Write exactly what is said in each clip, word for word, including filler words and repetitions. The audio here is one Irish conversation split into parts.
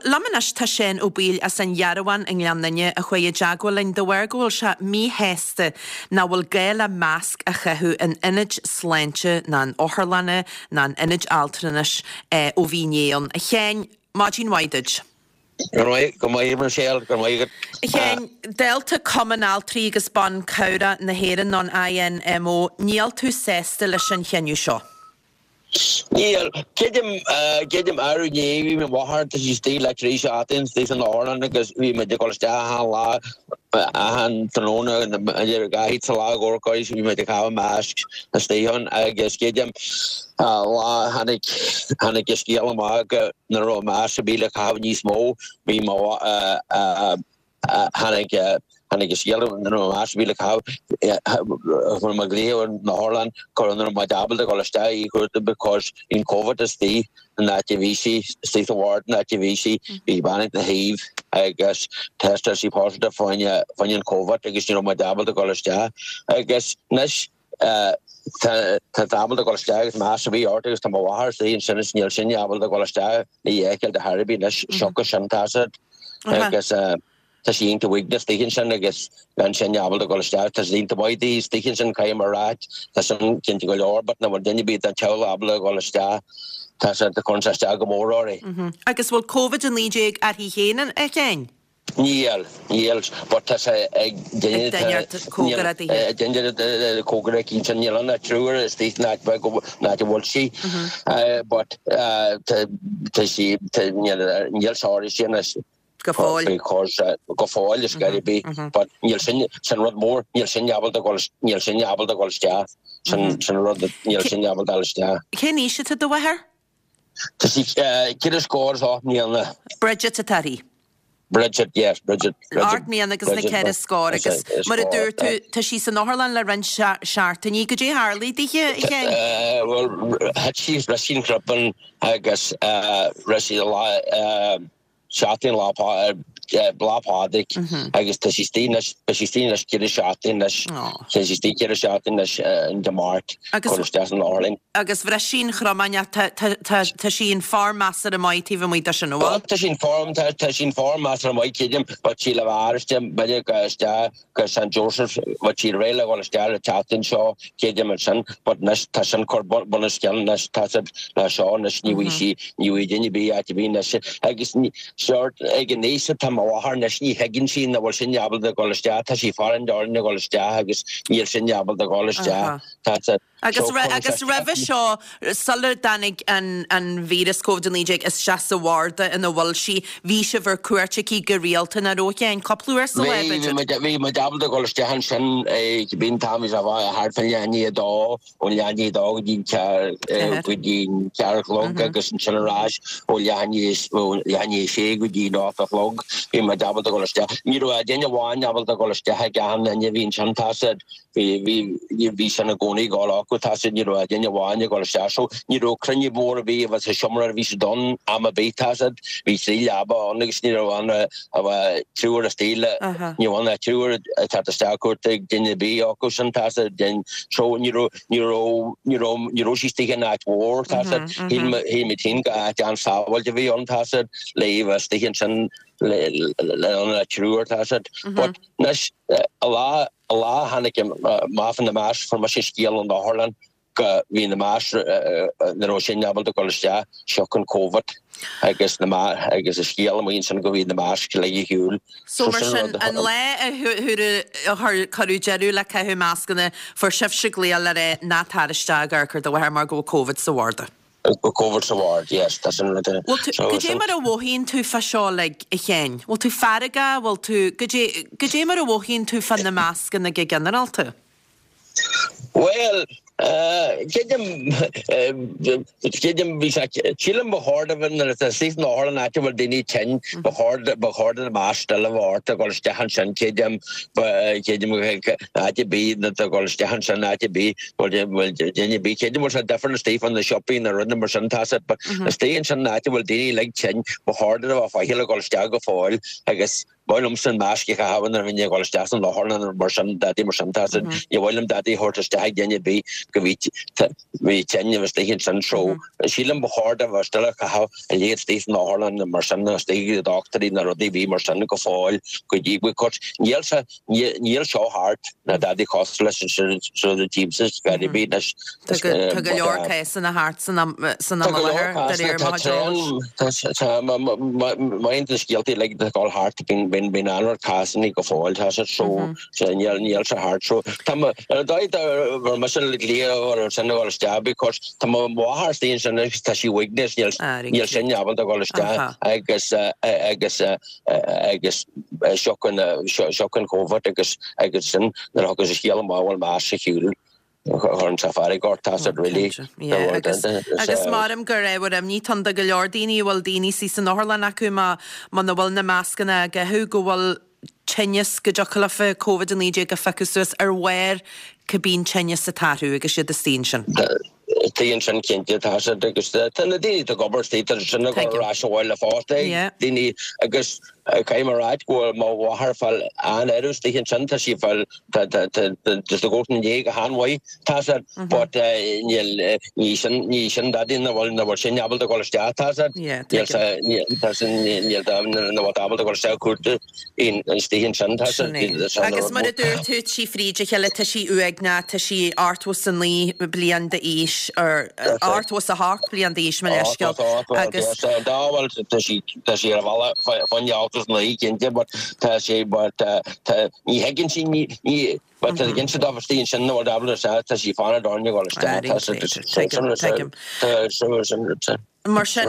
Liom anois tá Seán Ó Baoill as an Ghearabhán i nGleann Fhinne a chuaigh i dteagmháil linn de bharr go bhfuil sé míshásta nach bhfuil gá le masc a chaitheamh in ionaid sláinte ná in otharlanna ná in ionaid altranais ó bhí inné ann. A Sheáin, maidin mhaith duit. Go maith, go maith Michelle, go maith. A Sheáin, dalta Cumann Altraí agus Ban Cabhrach na hÉireann an I N M O, níl tú sásta leis an chinneadh seo. Níl creidim creidim arú inné bhí mo mháthair, tá sí istigh le trí seachtain istigh san otharlann, agus bhí muid ag dul isteach achan lá, achan tráthnóna, idir dhá sa lá dhórcáis, bhí muid ag caitheamh masc istigh ann. Agus creidim lá tháinig tháinig an scéal amach go nach raibh masc ar bith le caitheamh níos mó. Bhí mo tháinig tháinig an scéal nach raibh masc ar bith le caitheamh, chuir mé glaoch ar na otharlann go raibh muid ábalta dul isteach í chuarta because bhí an Covid istigh in áit a bhí sí istigh sa ward in áit a bhí sí. Bhí bean ina thaobh agus testáil sí positive fá choinne an Covid agus ní raibh muid ábalta dul isteach. Agus anois tá ábalta dul isteach agus masc a bhí ort, agus tá mo mháthair istigh ansin is níl sin ábalta dul isteach le fheiceáil de thairbí anois siocair sin tá agus tá sí iontach uaigneach istigh ansin agus gan sin ábalta dul isteach. Tá sí iontach maith istigh ansin, caithfidh mé a rá, tá sin cinnte go leor, but nach bhfuil duine ar bith den teaghlach ábalta dul isteach, tá sé chun sé isteach go mór uirthi. Agus bhfuil Covid a naoi déag uirthi féin, a Sheáin? Níl, níl, but tá sé ag cóngarach duine cóngarach cinnte. Níl an triúr istigh ná ná a bhfuil sí, but tá sí níl sár sí anois. Go fóill. Because go fóill is gairí bí, but níl sin sin rud mór, níl sin ábalta dul níl sin ábalta dul isteach, sin sin rud, níl sin ábalta dul isteach. Cén aois atá do mháthair? Tá sí ceithre scór is ocht mbliana. Bridget atá uirthi. Bridget, yes, Bridget. Ocht mbliana agus na ceithre scór, agus mar a dúirt tú, tá sí san otharlann le roinnt seachtainí. Goidé a tharla dithe, a Sheáin? Well, thit sí, bhris sí an chrupán agus rinne sí lá seachtain lá Lá Pádraig agus tá sí istigh anois, beidh sí istigh anois ceithre seachtain anois, tá sí istigh ceithre seachtain anois in Dé Máirt chur isteach san otharlann. Agus bhris sí an chromán, tá sí in form measartha maith taobh amuigh de sin, an bhfuil? Tá sí in form, tá sí in form measartha maith, creidim, but sí le bheith b'fhéidir go isteach go Saint Joseph, but sí réidh le dhul isteach le tseachtain seo, creidim ansin, but anois tá sin cur bunoscionn anois, tá siad le seo anois, ní bhfuil sí, ní bhfuil duine ar bith áit ar bith anois agus sort ag an aois atá mo mháthair anois, ní thuigeann sí nach bhfuil sin ábalta dul isteach. Tá sí farainn orainn a dhul isteach agus níl sin ábalta dul isteach. Tá siad Agus agus roimhe seo, sular dtáinig an an víreas Covid naoi déag isteach sa bharda ina bhfuil sí, bhí sibh ar cuairt aici go rialta, nach raibh, a Sheáin, cúpla uair sa lá, b'fhéidir? Bhí muid ábalta dul isteach ansin, bhí an t-am, bhí sé thart fán leath i ndiaidh a dó, ón leath i ndiaidh a dó go dtí an go dtí an ceathair a chlog, agus ansin ar ais ó leath i ndiaidh ó leath i ndiaidh a sé go dtí an ocht a chlog. Bhí muid ábalta dul isteach. Ní raibh duine amháin ábalta dul isteach ag achan duine a bhí ansin, tá siad bhí bhí bhí sin i gcónaí ag dul acu, tá siad, ní raibh duine amháin ag dul isteach, so ní raibh cruinniú mór ar bith a bheith sa seomra a bhí siad ann am ar bith, tá siad, bhí trí leaba ann agus ní raibh ann a bheith triúr istigh le ní raibh ann triúr ag teacht isteach cuairt ag duine ar bith acu sin, tá siad, so ní raibh ní raibh ní raibh ní raibh sí istigh in áit mhór, tá siad, shíl shíl muid féin go áit an-sábháilte a bhí ann, tá siad, le bheith istigh ansin le le le triúr, tá siad, but anois a lá a lá tháinig amach faoi na maisc, fuair mise scéal ón otharlann go bhí na maisc nach raibh sin ábalta dul isteach siocair an Covid agus na agus an scéal amuigh ansin go bhí na maisc le ar shiúl. So mar sin, an lá a chuir cuireadh deireadh le caitheamh mascanna, fuair sibhse glaoch le rá ná tar isteach ag amharc ar do mháthair mar go bhfuil Covid sa bharda. Covid sa bhord, yes, tá sin rud. Bhfuil tú, goidé mar a mhothaíonn tú fá seo like, a Sheáin? Bhfuil tú feargach, bhfuil tú, goidé, goidé mar a mhothaíonn tú fá na mascanna go ginearálta? Well, creidim, creidim bhí sé, sílim ba chóir do bheith nuair atá istigh san otharlann áit a bhfuil daoine tinn, ba chóir ba chóir do na masc still a bheith ort a dhul isteach ansin, creidim, creidim áit ar bith na do dhul isteach ansin áit ar bith, bhfuil bhfuil duine ar bith, creidim bhfuil sé different istigh fan na siopaí na rudaí mar sin, tá sé, but istigh ansin áit a bhfuil daoine uilig tinn, ba chóir do bheith faichill a dhul isteach go fóill agus Ba mhaith liomsa an masc a chaitheamh nuair a bhínn ag dul isteach san otharlann nó mar sin dadaí mar sin tá a fhios agat ní mhaith liom dadaí a thabhairt isteach ag duine ar bith go bhí bhí tinn a bheith istigh ansin so sílim ba chóir do bheith still a chaitheamh a leithéid istigh san otharlann nó mar sin nó istigh ag dochtúirí nó rudaí bhí mar sin go fóill go dtí because níl sé níl seo thart ná dadaí cosúil leis an seo the teams is very be anois Tá go tá go leor cásanna thart san am san am i láthair de réir mo chuid eolais. Tá maith na scéaltaí uilig ag dul thart bíonn bíonn bíonn an-oiread cásanna go fóill tá sé so níl níl sé thart so tá mo ar an dóigh bhur mise le cliath ar sin a dhul isteach because tá mo mháthair istigh ansin agus tá sí uaigneach is níl níl sin ábalta dhul isteach agus agus agus siocair siocair an Covid agus agus sin nuair a thugas an scéal amach bhfuil masc sa shiúl chuireann sé fearg ort tá siad really Agus agus maram gur ábhar imní atá ann do go leor daoine a bhfuil daoine istigh san otharlann acu má muna bhfuil na mascanna á gcaitheamh go bhfuil tinneas go dtiocfadh leofa Covid a naoi déag a phiocadh suas ar bharr cibé an tinneas atá orthu agus iad istigh ansin. Istigh ansin cinnte tá siad agus tá na daoine atá ag obair istigh tá sin ag dul ar ais abhaile fosta daoine agus caithfidh mé a ráit go bhfuil mo mháthair ag fáil an-aire istigh ansin tá sí ag fáil tá tá tá just ag gabháil ina ndiaidh go han-mhaith tá siad but níl ní sin ní sin dadaí na bhfuil na bhfuil sin ábalta dul isteach tá siad níl sa níl tá sin níl tá na bhfuil ábalta dul isteach cuartú istigh ansin tá siad Agus mar a dúirt tú trí fríd a chéile tá sí uaigneach tá sí ochtó is a naoi bliain d'aois or ochtó is a hocht bliain d'aois mo leithscéal agus Dá bhfuil tá sí tá sí ar a bhealach fá choinne ochtó is naoi cinnte but tá sé but tá ní thuigeann sí ní ní but tá cinnte dá istigh ansin nó ábalta isteach tá sí fanacht orainn a dhul isteach tá Tuigim tuigim. Mar sin,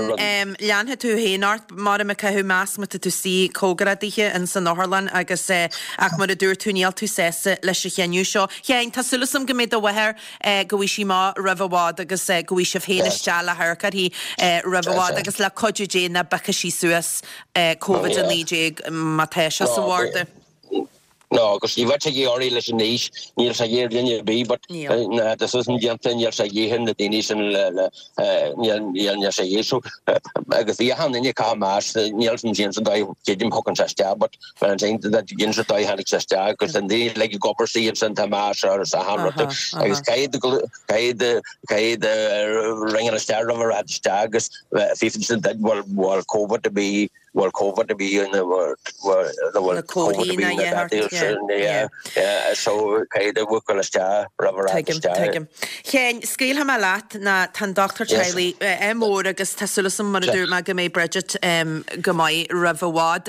leanfaidh tú féin ort, maram ag caitheamh masc má tá tú istigh cóngarach dithe in san otharlann agus ach mar a dúirt tú níl tú sásta leis an chinneadh seo. Sheáin, tá súil agam go mbeidh do mháthair, go bhfaighidh sí amach roimh i bhfad agus go bhfaighidh sibh féin isteach le hamharc uirthi roimh i bhfad agus le cuidiú Dé nach bpiocfaidh sí suas Covid a naoi déag má tá sé sa bharda. No, agus ní bheadh sé de dhíth uirthi leis an aois, níl sé de dhíth ar dhuine ar bith, but na decision déanta, níl sé de dhíth ar na daoine sin le, le, níl, níl, níl sé de dhíth. So, agus bhí achan duine ag caitheamh masc, níl san sin san dóigh, creidim thugann sé isteach, but when I'm saying that dhein sé dóigh tháinig sé isteach, agus an daoine uilig ag obair istigh ansin tá masc orthu is achan rud, agus caithfidh do, caithfidh do, caithfidh do ringeáil isteach roimh a rad isteach agus fiafraigh sin duit bhfuil, bhfuil Covid ar bith, bhfuil Covid a bhí ina bhfuil Covid a bhí ina dadaí sin yeah yeah so caithfidh do bhuachaill isteach roimh a raibh Tuigim, isteach. tuigim. Sheáin, scaoilfidh mé leat ná tá an dochtúir Yes. teaghlaigh eh, mór agus tá súil agam mar a dúirt mé go mbeidh Bridget em, go maith roimh i bhfad.